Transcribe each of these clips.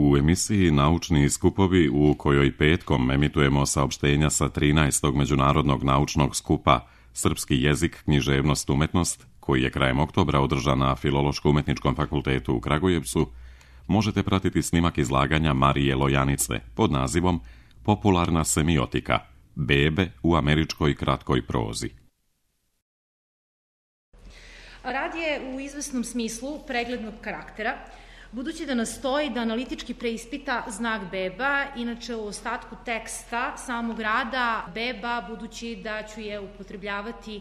U emisiji Naučni skupovi, u kojoj petkom emitujemo saopštenja sa 13. međunarodnog naučnog skupa Srpski jezik, književnost, umetnost, koji je krajem oktobra održan na Filološko-umetničkom fakultetu u Kragujevcu, možete pratiti snimak izlaganja Marije Lojanice pod nazivom Popularna semiotika – bebe u američkoj kratkoj prozi. Rad je u izvesnom smislu preglednog karaktera, budući da nastoji da analitički preispita znak beba, inače u ostatku teksta samog rada beba, budući da ću je upotrebljavati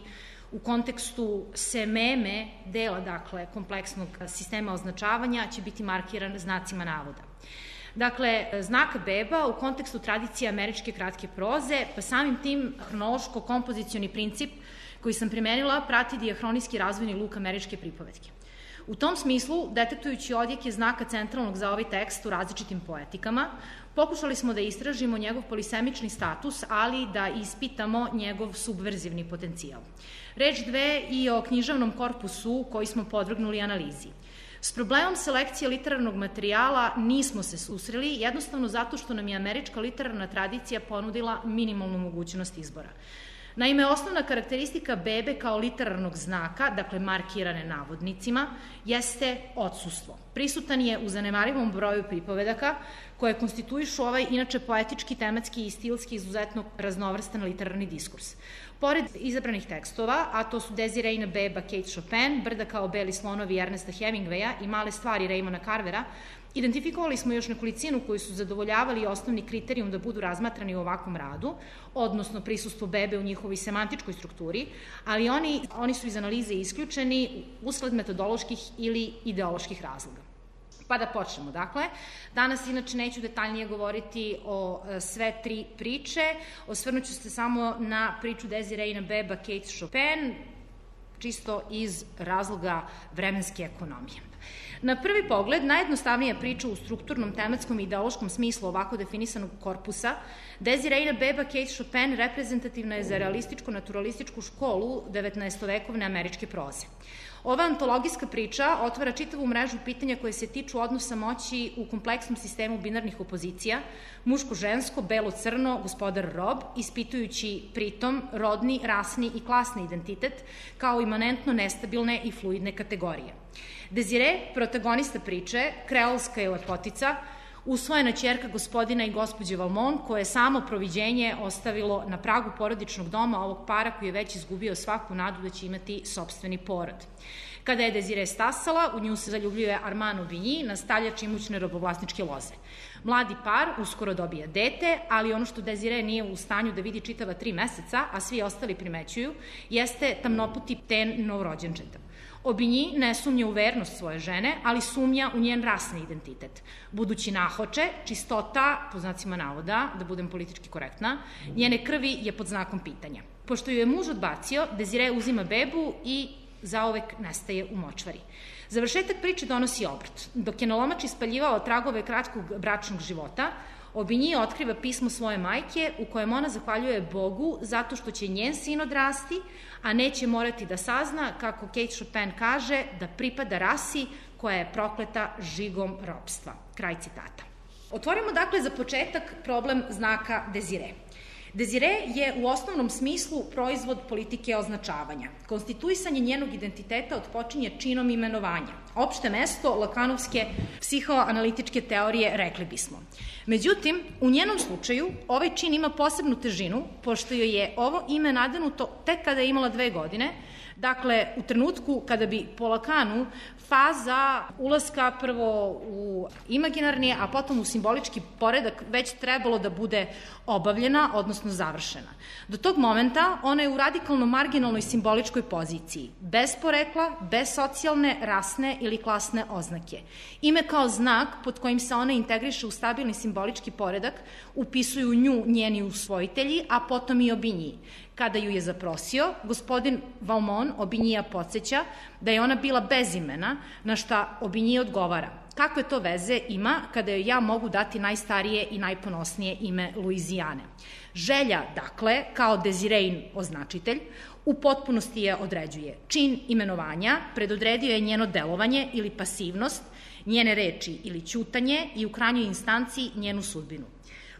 u kontekstu sememe, dela, dakle, kompleksnog sistema označavanja, će biti markiran znacima navoda. Dakle, znak beba u kontekstu tradicije američke kratke proze, pa samim tim hronološko-kompozicioni princip koji sam primenila prati dijahronijski razvojni luk američke pripovetke. U tom smislu, detektujući odjeke znaka centralnog za ovaj tekst u različitim poetikama, pokušali smo da istražimo njegov polisemični status, ali da ispitamo njegov subverzivni potencijal. Reč dve i o književnom korpusu koji smo podvrgnuli analizi. S problemom selekcije literarnog materijala nismo se susreli, jednostavno zato što nam je američka literarna tradicija ponudila minimalnu mogućnost izbora. Naime, osnovna karakteristika bebe kao literarnog znaka, dakle markirane navodnicima, jeste odsustvo. Prisutan je u zanemarivom broju pripovedaka koje konstituišu ovaj inače poetički, tematski i stilski izuzetno raznovrstan literarni diskurs. Pored izabranih tekstova, a to su Desirejna beba Kate Chopin, Brda kao beli slonovi Ernesta Hemingwaya i Male stvari Raymona Carvera, identifikovali smo još nekolicinu koji su zadovoljavali osnovni kriterijum da budu razmatrani u ovakvom radu, odnosno prisustvo bebe u njihovoj semantičkoj strukturi, ali oni su iz analize isključeni usled metodoloških ili ideoloških razloga. Pa da počnemo. Dakle, danas inače neću detaljnije govoriti o sve tri priče, osvrnuću se samo na priču Desirejna beba Kate Chopin, čisto iz razloga vremenske ekonomije. Na prvi pogled, najjednostavnija priča u strukturnom, tematskom i ideološkom smislu ovako definisanog korpusa, Desirejna beba Kate Chopin reprezentativna je za realističko-naturalističku školu 19. američke proze. Ova antologijska priča otvara čitavu mrežu pitanja koje se tiču odnosa moći u kompleksnom sistemu binarnih opozicija, muško-žensko, belo-crno, gospodar-rob, ispitujući pritom rodni, rasni i klasni identitet kao imanentno nestabilne i fluidne kategorije. Desire, protagonista priče, kreolska je lepotica, usvojena ćerka gospodina i gospođe Valmont, koje je samo proviđenje ostavilo na pragu porodičnog doma ovog para koji je već izgubio svaku nadu da će imati sopstveni porod. Kada je Desire stasala, u nju se zaljubljuje Armand Aubigny, nastavljač imućne robovlasničke loze. Mladi par uskoro dobija dete, ali ono što Desire nije u stanju da vidi čitava 3 meseca, a svi ostali primećuju, jeste tamnoputi ten novorođenčeta. Aubigny ne sumnja u vernost svoje žene, ali sumnja u njen rasni identitet. Budući nahoče, čistota, po znacima navoda, da budem politički korektna, njene krvi je pod znakom pitanja. Pošto ju je muž odbacio, Desire uzima bebu i zaovek nestaje u močvari. Završetak priče donosi obrt. Dok je na lomači spaljivao tragove kratkog bračnog života, Aubigny otkriva pismo svoje majke u kojem ona zahvaljuje Bogu zato što će njen sin odrasti, a neće morati da sazna, kako Kate Chopin kaže, da pripada rasi koja je prokleta žigom ropstva. Kraj citata. Otvorimo dakle za početak problem znaka Desire. Desire je u osnovnom smislu proizvod politike označavanja. Konstituisanje njenog identiteta odpočinje činom imenovanja. Opšte mesto lakanovske psihoanalitičke teorije, rekli bismo. Međutim, u njenom slučaju ovaj čin ima posebnu težinu, pošto joj je ovo ime nadanuto tek kada je imala 2 godine, dakle, u trenutku kada bi po Lakanu faza ulaska prvo u imaginarni, a potom u simbolički poredak već trebalo da bude obavljena, odnosno završena. Do tog momenta ona je u radikalno marginalnoj simboličkoj poziciji, bez porekla, bez socijalne, rasne ili klasne oznake. Ime kao znak pod kojim se ona integriše u stabilni simbolički poredak upisuju nju njeni usvojitelji, a potom i Aubigny. Kada ju je zaprosio, gospodin Valmont Aubignya podsjeća da je ona bila bez imena, na šta Aubigny odgovara: kakve to veze ima kada joj ja mogu dati najstarije i najponosnije ime Luizijane. Želja, dakle, kao Desirein označitelj, u potpunosti je određuje. Čin imenovanja predodredio je njeno delovanje ili pasivnost, njene reči ili ćutanje i u krajnjoj instanciji njenu sudbinu.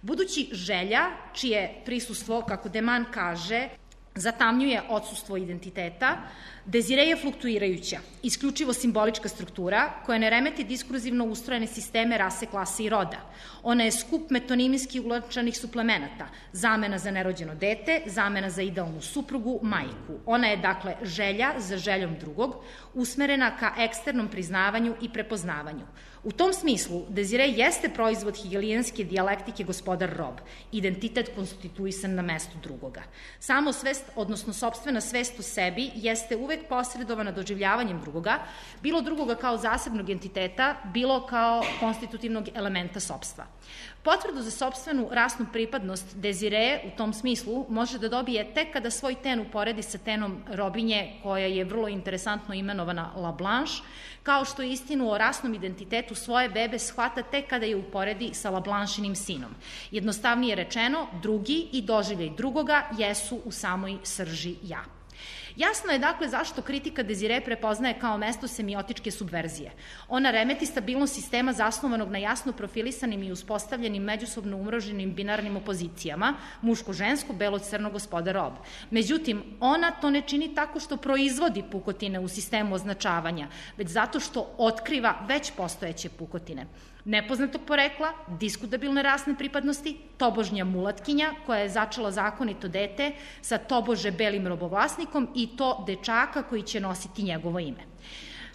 Budući želja, čije prisustvo, kako Deman kaže, zatamnjuje odsustvo identiteta, Dezire je fluktuirajuća, isključivo simbolička struktura koja ne remeti diskurzivno ustrojene sisteme rase, klase i roda. Ona je skup metonimijski ulačanih suplemenata, zamena za nerođeno dete, zamena za idealnu suprugu, majku. Ona je, dakle, želja za željom drugog, usmerena ka eksternom priznavanju i prepoznavanju. U tom smislu, Dezire jeste proizvod hegelijanske dijalektike gospodar rob, identitet konstituisan na mestu drugoga. Samo svest, odnosno sopstvena svest o sebi, jeste uvek posredovana doživljavanjem drugoga, bilo drugoga kao zasebnog entiteta, bilo kao konstitutivnog elementa sopstva. Potvrdu za sopstvenu rasnu pripadnost Dezire u tom smislu može da dobije tek kada svoj ten uporedi sa tenom robinje, koja je vrlo interesantno imenovana La Blanche, kao što istinu o rasnom identitetu svoje bebe shvata tek kada je uporedi sa La Blanchinim sinom. Jednostavnije rečeno, drugi i doživljaj drugoga jesu u samoj srži ja. Jasno je dakle zašto kritika Dezire prepoznaje kao mesto semiotičke subverzije. Ona remeti stabilnost sistema zasnovanog na jasno profilisanim i uspostavljenim međusobno umroženim binarnim opozicijama, muško-žensko, belo-crno, gospodar-rob. Međutim, ona to ne čini tako što proizvodi pukotine u sistemu označavanja, već zato što otkriva već postojeće pukotine. Nepoznatog porekla, diskutabilne rasne pripadnosti, tobožnja mulatkinja koja je začela zakonito dete sa tobože belim robovlasnikom i to dečaka koji će nositi njegovo ime.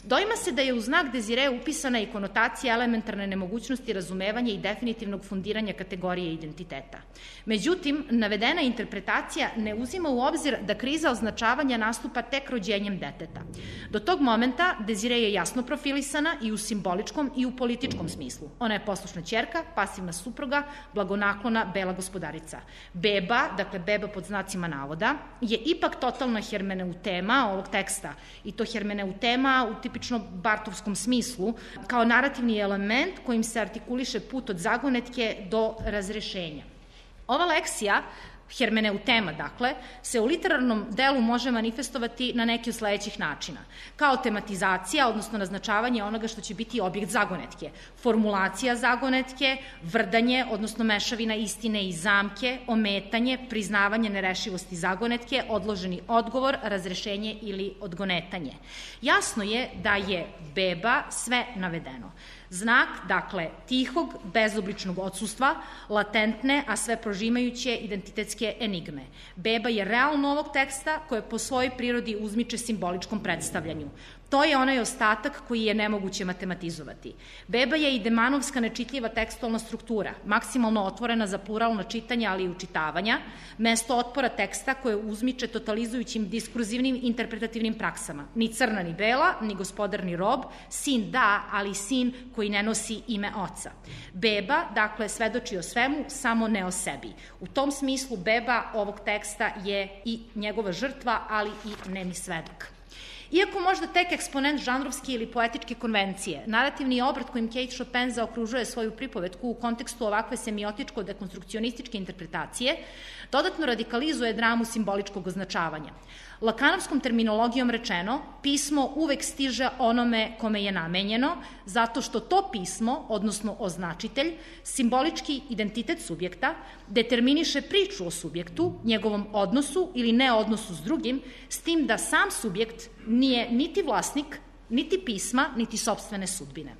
Doima se da je u znak Dezire upisana i konotacija elementarne nemogućnosti razumevanja i definitivnog fundiranja kategorije identiteta. Međutim, navedena interpretacija ne uzima u obzir da kriza označavanja nastupa tek rođenjem deteta. Do tog momenta Dezire je jasno profilisana i u simboličkom i u političkom smislu. Ona je poslušna ćerka, pasivna supruga, blagonaklona, bela gospodarica. Beba, dakle beba pod znacima navoda, je ipak totalna hermeneutema ovog teksta i to hermeneutema u tipično bartovskom smislu, kao narativni element kojim se artikuliše put od zagonetke do razrešenja. Ova leksija, hermeneutema, dakle, se u literarnom delu može manifestovati na neki od sledećih načina. Kao tematizacija, odnosno naznačavanje onoga što će biti objekt zagonetke, formulacija zagonetke, vrdanje, odnosno mešavina istine i zamke, ometanje, priznavanje nerešivosti zagonetke, odloženi odgovor, razrešenje ili odgonetanje. Jasno je da je beba sve navedeno. Znak, dakle, tihog, bezobličnog odsustva, latentne, a sve prožimajuće identitetske enigme. Beba je realno ovog teksta koje po svojoj prirodi uzmiče simboličkom predstavljanju. To je onaj ostatak koji je nemoguće matematizovati. Beba je i demanovska nečitljiva tekstualna struktura, maksimalno otvorena za pluralna čitanja, ali i učitavanja, mesto otpora teksta koje uzmiče totalizujućim diskurzivnim interpretativnim praksama. Ni crna ni bela, ni gospodar ni rob, sin da, ali sin koji ne nosi ime oca. Beba, dakle, svedoči o svemu, samo ne o sebi. U tom smislu beba ovog teksta je i njegova žrtva, ali i nemi svedok. Iako možda tek eksponent žanrovske ili poetičke konvencije, narativni obrat kojim Kate Chopin zaokružuje svoju pripovetku u kontekstu ovakve semiotičko-dekonstrukcionističke interpretacije, dodatno radikalizuje dramu simboličkog označavanja. Lakanovskom terminologijom rečeno, pismo uvek stiže onome kome je namenjeno, zato što to pismo, odnosno označitelj, simbolički identitet subjekta, determiniše priču o subjektu, njegovom odnosu ili neodnosu s drugim, s tim da sam subjekt nije niti vlasnik, niti pisma, niti sopstvene sudbine.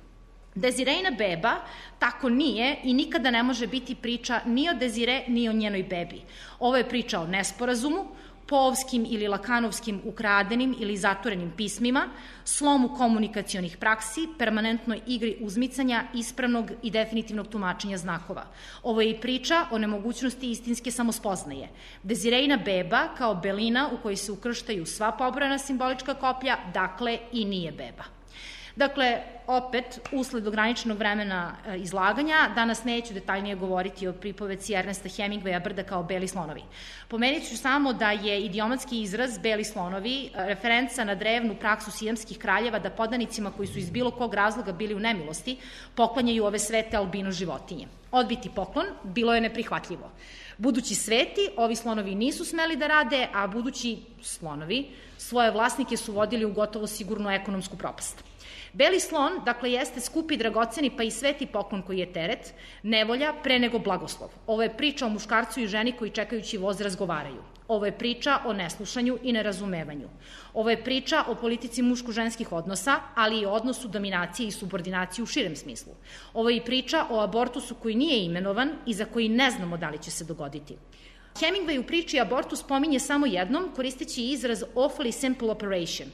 Dezirejna beba tako nije i nikada ne može biti priča ni o Dezire, ni o njenoj bebi. Ovo je priča o nesporazumu, poovskim ili lakanovskim ukradenim ili zatvorenim pismima, slomu komunikacionih praksi, permanentnoj igri uzmicanja, ispravnog i definitivnog tumačenja znakova. Ovo je i priča o nemogućnosti istinske samospoznaje. Dezirejna beba, kao belina u kojoj se ukrštaju sva pobrojana simbolička koplja, dakle i nije beba. Dakle, opet, usled ograničenog vremena izlaganja, danas neću detaljnije govoriti o pripovetci Ernesta Hemingwaya Brda kao beli slonovi. Pomenut ću samo da je idiomatski izraz beli slonovi referenca na drevnu praksu sijamskih kraljeva da podanicima koji su iz bilo kog razloga bili u nemilosti poklanjaju ove svete albino životinje. Odbiti poklon bilo je neprihvatljivo. Budući sveti, ovi slonovi nisu smeli da rade, a budući slonovi svoje vlasnike su vodili u gotovo sigurnu ekonomsku propast. Beli slon, dakle, jeste skupi, dragoceni pa i sveti poklon koji je teret, nevolja pre nego blagoslov. Ovo je priča o muškarcu i ženi koji čekajući voz razgovaraju. Ovo je priča o neslušanju i nerazumevanju. Ovo je priča o politici muško-ženskih odnosa, ali i o odnosu dominacije i subordinacije u širem smislu. Ovo je i priča o abortusu koji nije imenovan i za koji ne znamo da li će se dogoditi. Hemingway u priči abortus pominje samo jednom, koristeći izraz awfully simple operation.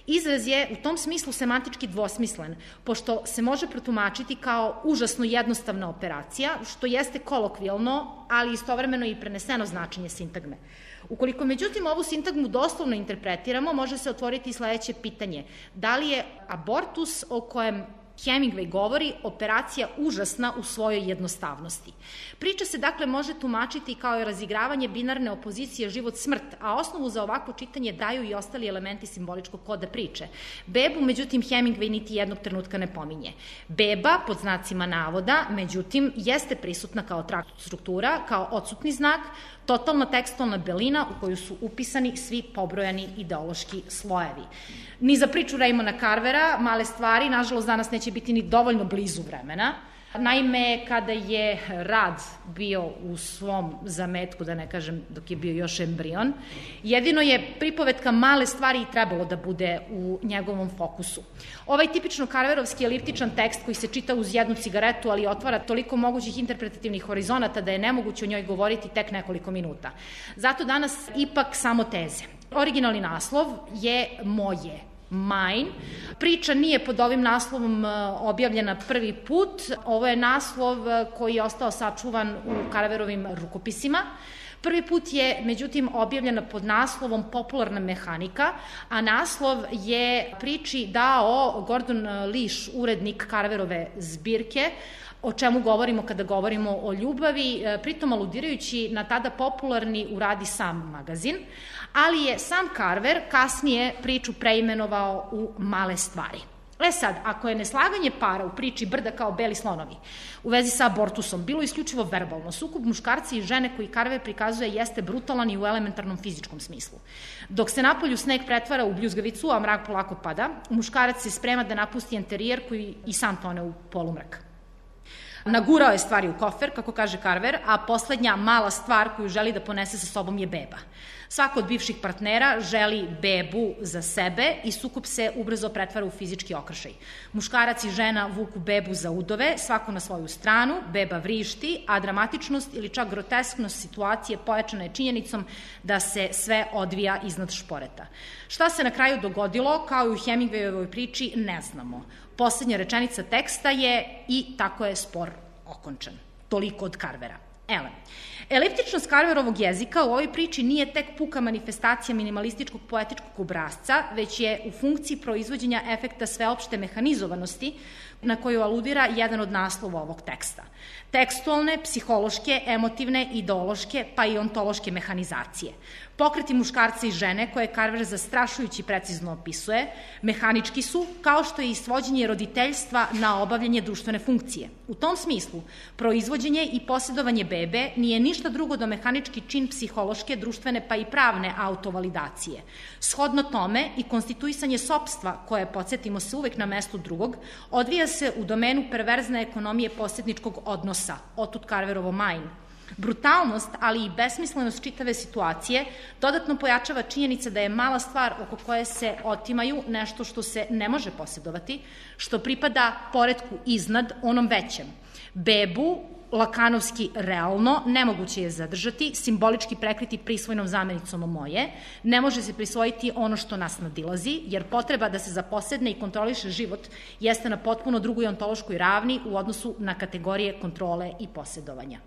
Izraz je u tom smislu semantički dvosmislen, pošto se može protumačiti kao užasno jednostavna operacija, što jeste kolokvijalno, ali istovremeno i preneseno značenje sintagme. Ukoliko međutim ovu sintagmu doslovno interpretiramo, može se otvoriti sledeće pitanje. Da li je abortus o kojem Hemingway govori operacija užasna u svojoj jednostavnosti? Priča se dakle može tumačiti kao i razigravanje binarne opozicije život-smrt, a osnovu za ovako čitanje daju i ostali elementi simboličkog koda priče. Bebu, međutim, Hemingway niti jednog trenutka ne pominje. Beba, pod znacima navoda, međutim, jeste prisutna kao struktura, kao odsutni znak, totalna tekstualna belina u koju su upisani svi pobrojani ideološki slojevi. Ni za priču Raymona Carvera, Male stvari, nažalost danas neće biti ni dovoljno blizu vremena. Naime, kada je rad bio u svom zametku, da ne kažem dok je bio još embrion, jedino je pripovetka Male stvari i trebalo da bude u njegovom fokusu. Ovaj tipično Carverovski eliptičan tekst koji se čita uz jednu cigaretu, ali otvara toliko mogućih interpretativnih horizonata da je nemoguće o njoj govoriti tek nekoliko minuta. Zato danas ipak samo teze. Originalni naslov je Moje, Mine. Priča nije pod ovim naslovom objavljena prvi put. Ovo je naslov koji je ostao sačuvan u Carverovim rukopisima. Prvi put je, međutim, objavljena pod naslovom Popularna mehanika, a naslov je priči dao Gordon Lish, urednik Carverove zbirke, o čemu govorimo kada govorimo o ljubavi, pritom aludirajući na tada popularni u Radi sam magazin, ali je sam Carver kasnije priču preimenovao u Male stvari. Sad, ako je neslaganje para u priči Brda kao beli slonovi u vezi sa abortusom bilo isključivo verbalno, sukob muškarca i žene koji Carver prikazuje jeste brutalan i u elementarnom fizičkom smislu. Dok se napolju sneg pretvara u bljuzgavicu, a mrak polako pada, muškarac se sprema da napusti enterijer koji i sam tone u polumrak. Nagurao je stvari u kofer, kako kaže Carver, a poslednja mala stvar koju želi da ponese sa sobom je beba. Svako od bivših partnera želi bebu za sebe i sukob se ubrzo pretvara u fizički okršaj. Muškarac i žena vuku bebu za udove, svako na svoju stranu, beba vrišti, a dramatičnost ili čak grotesknost situacije pojačana je činjenicom da se sve odvija iznad šporeta. Šta se na kraju dogodilo, kao i u Hemingwayovoj priči, ne znamo. Poslednja rečenica teksta je i tako je spor okončan. Toliko od Carvera. Eliptičnost Carverovog jezika u ovoj priči nije tek puka manifestacija minimalističkog poetičkog obrazca, već je u funkciji proizvođenja efekta sveopšte mehanizovanosti na koju aludira jedan od naslova ovog teksta. Tekstualne, psihološke, emotivne, ideološke, pa i ontološke mehanizacije. Pokreti muškarca i žene, koje Carver zastrašujući precizno opisuje, mehanički su, kao što je i svođenje roditeljstva na obavljanje društvene funkcije. U tom smislu, proizvođenje i posjedovanje bebe nije ništa drugo do mehanički čin psihološke, društvene pa i pravne autovalidacije. Shodno tome i konstituisanje sopstva, koje, podsjetimo se, uvek na mestu drugog, odvija se u domenu perverzne ekonomije posjedničkog odnosa, otud Carverovo Mine. Brutalnost, ali i besmislenost čitave situacije dodatno pojačava činjenica da je mala stvar oko koje se otimaju nešto što se ne može posjedovati, što pripada poretku iznad onom većem. Bebu, lakanovski realno, nemoguće je zadržati, simbolički prekriti prisvojnom zamenicom moje, ne može se prisvojiti ono što nas nadilazi, jer potreba da se zaposedne i kontroliše život jeste na potpuno drugoj ontološkoj ravni u odnosu na kategorije kontrole i posjedovanja.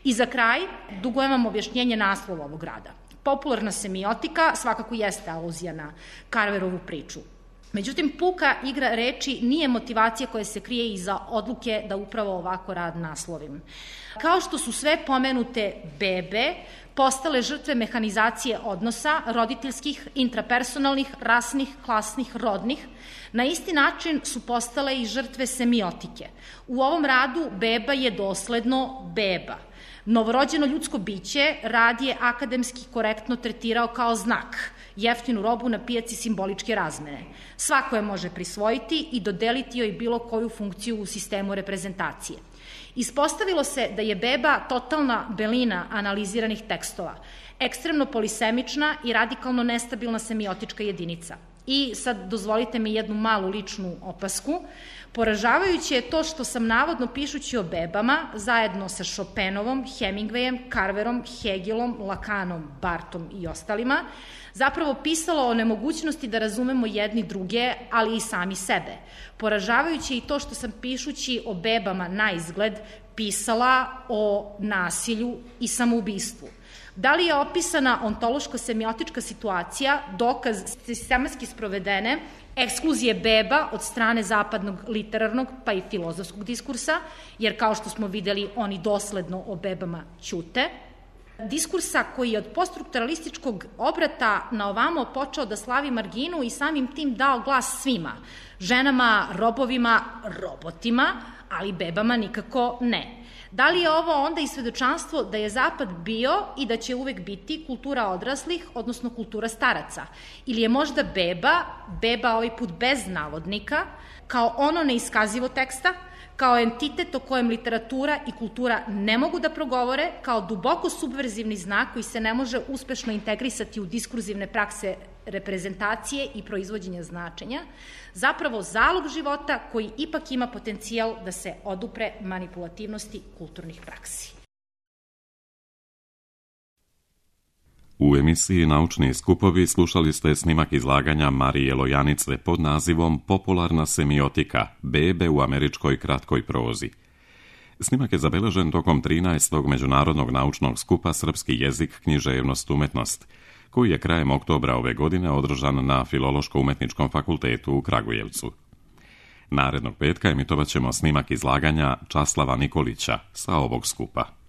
I za kraj, dugujem vam objašnjenje naslova ovog rada. Popularna semiotika svakako jeste aluzija na Carverovu priču. Međutim, puka igra reči nije motivacija koja se krije iza odluke da upravo ovako rad naslovim. Kao što su sve pomenute bebe postale žrtve mehanizacije odnosa, roditeljskih, intrapersonalnih, rasnih, klasnih, rodnih, na isti način su postale i žrtve semiotike. U ovom radu beba je dosledno beba. Novorođeno ljudsko biće rad je akademski korektno tretirao kao znak jeftinu robu na pijaci simboličke razmene. Svako je može prisvojiti i dodeliti joj bilo koju funkciju u sistemu reprezentacije. Ispostavilo se da je beba totalna belina analiziranih tekstova, ekstremno polisemična i radikalno nestabilna semiotička jedinica. I sad dozvolite mi jednu malu ličnu opasku. Poražavajuće je to što sam navodno pišući o bebama, zajedno sa Chopinovom, Hemingwayem, Carverom, Hegelom, Lakanom, Bartom i ostalima, zapravo pisala o nemogućnosti da razumemo jedni druge, ali i sami sebe. Poražavajuće je i to što sam pišući o bebama na izgled pisala o nasilju i samoubistvu. Da li je opisana ontološko-semiotička situacija dokaz sistematski sprovedene ekskluzije beba od strane zapadnog literarnog pa i filozofskog diskursa, jer kao što smo videli oni dosledno o bebama ćute, diskursa koji je od poststrukturalističkog obrata na ovamo počeo da slavi marginu i samim tim dao glas svima, ženama, robovima, robotima, ali bebama nikako ne. Da li je ovo onda i svedočanstvo da je Zapad bio i da će uvek biti kultura odraslih, odnosno kultura staraca? Ili je možda beba ovaj put bez navodnika, kao ono neiskazivo teksta, kao entitet o kojem literatura i kultura ne mogu da progovore, kao duboko subverzivni znak koji se ne može uspešno integrisati u diskurzivne prakse reprezentacije i proizvođenja značenja, zapravo zalog života koji ipak ima potencijal da se odupre manipulativnosti kulturnih praksi. U emisiji Naučni skupovi slušali ste snimak izlaganja Marije Lojanice pod nazivom Popularna semiotika, bebe u američkoj kratkoj prozi. Snimak je zabeležen tokom 13. Međunarodnog naučnog skupa Srpski jezik, književnost, umetnost, koji je krajem oktobra ove godine održan na Filološko-umetničkom fakultetu u Kragujevcu. Narednog petka emitovat ćemo snimak izlaganja Časlava Nikolića sa ovog skupa.